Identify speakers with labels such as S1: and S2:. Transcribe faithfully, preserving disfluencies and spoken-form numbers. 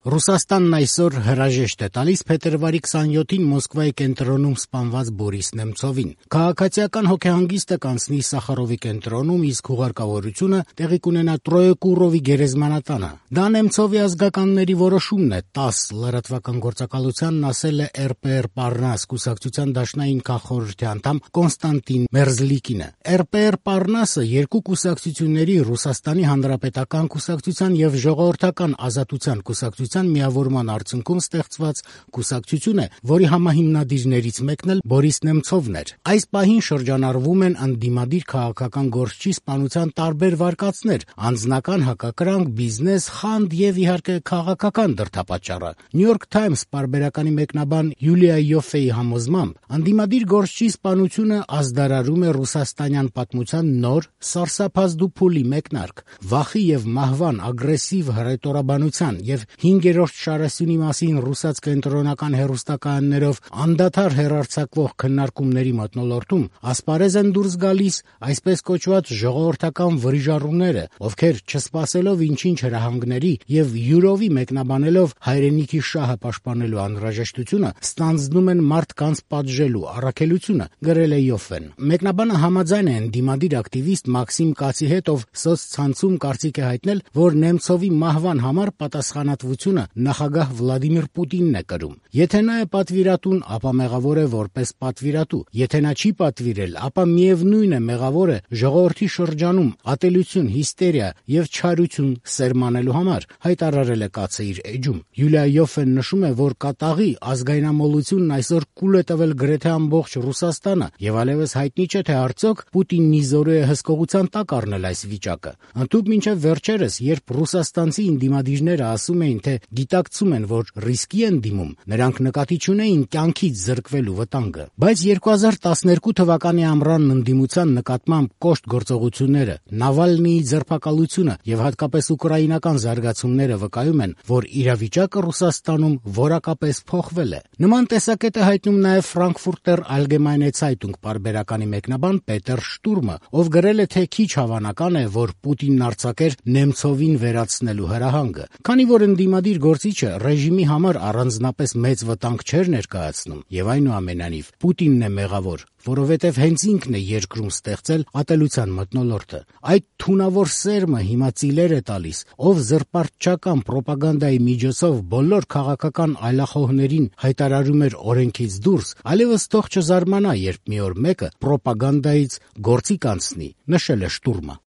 S1: Ռուսաստանն այսօր հրաժեշտ է տալիս փետրվարի քսաներկուին Մոսկվայի կենտրոնում սպանված Բորիս Նեմցովին։ Քաղաքացիական հոգեհանգիստը կանցնի Սախարովի կենտրոնում, իսկ հուղարկավորությունը տեղի կունենա Տրոյեկուրովի գերեզմանատանը։ Դա Նեմցովի ազգականների որոշումն է, տաս լրատվական գործակալությանն ասել է er pé er Parnas կուսակցության դաշնային քաղխորհրդի անդամ Կոնստանտին Մերզլիկինը։ er pé er Parnas-ը երկու կուսակցությունների՝ Ռուսաստանի Հանրապետական կուսակցության եւ Ժողովրդական ազատության կուսակցության միավորման արդյունքում ստեղծված կուսակցություն է, որի համահիմնադիրներից մեկն էլ Բորիս Նեմցովն էր։ Այս պահին շրջանառվում են ընդդիմադիր քաղաքական գործչի սպանության տարբեր վարկածներ՝ անձնական հակակրանք, բիզնես, խանդ եւ իհարկե քաղաքական դրդապատճառը։ New York Times պարբերականի մեկնաբան Յուլիա Յոֆեի համոզմամբ, ընդդիմադիր գործչի սպանությունը ազդարարում է ռուսաստանյան պատմության նոր սարսափազդու փուլի մեկնարկ։ Վախի եւ մահվան ագրեսիվ հռետորաբանության եւ հինգերորդ շարասյունի մասին ռուսաց կենտրոնական հեռուստակայաններով անդադար հեռարձակվող քննարկումների մթնոլորտում ասպարեզ են դուրս գալիս այսպես կոչված ժողովրդական վրիժառուները, ովքեր չսպասելով ինչ-ինչ հրահանգների եւ յուրովի մեկնաբանելով հայրենիքի շահը պաշտպանելու անհրաժեշտությունը, ստանձնում են մարդկանց պատժելու առաքելությունը, գրել է Յոֆեն։ Մեկնաբանը համաձայն է ընդդիմադիր ակտիվիստ Մաքսիմ Կացի հետ, ով սոցցանցում կարծիք է հայտնել, որ Նեմցովի մահվան համար պատասխանատվությունը նախագահ Վլադիմիր Պուտինն է կրում։ Եթե նա է պատվիրատուն, ապա մեղավոր է որպես պատվիրատու։ Եթե նա չի պատվիրել, ապա միևնույն է մեղավոր է ժողովրդի շրջանում ատելություն, հիստերիա եւ չարություն սերմանելու համար, հայտարարել է Կացը իր էջում։ Յուլիա Յոֆեն նշում է, որ կատաղի ազգայնամոլությունն այսօր կուլ է տվել գրեթե ամբողջ Ռուսաստանը եւ այլևս հայտնի չէ, թե արդյոք Պուտինն իզորու է հսկողության տակ առնել այս վիճակը։ Ընդհուպ մինչև վերջերս, երբ ռուսաստանցի ինդիմադիրները ասում էին, թե գիտակցում են, որ ռիսկի են դիմում, նրանք նկատի չունեին կյանքից զրկվելու վտանգը։ Բայց երկու հազար տասներկու թվականի ամռանն ընդդիմության նկատմամբ կոշտ գործողությունները, Նավալնիի ձերբակալությունը եւ հատկապես ուկրաինական զարգացումները վկայում են, որ իրավիճակը Ռուսաստանում որակապես փոխվել է։ Նման տեսակետ է հայտնում նաեւ Frankfurter Allgemeine Zeitung պարբերականի մեկնաբան Պետեր Շտուրմը, ով գրել է, թե քիչ հավանական է, որ Պուտինն արձակեր Նեմցովին վերացնելու հրահանգը, քանի որ ընդդիմադիր գործիչը ռեժիմի համար առանձնապես մեծ վտանգ չէր ներկայացնում, եւ այնուամենայնիվ Պուտինն է մեղավոր, որովհետեւ հենց ինքն է երկրում ստեղծել ատելության մթնոլորտը։ Այդ թունավոր սերմը հիմա ծիլեր է տալիս, ով զրպարտչական պրոպագանդայի միջոցով բոլոր քաղաքական այլախոհներին հայտարարում էր օրենքից դուրս, այլևս թող չզարմանա, երբ մի օր մեկը պրոպագանդայից գործի կանցնի, նշել է Շտուրմը։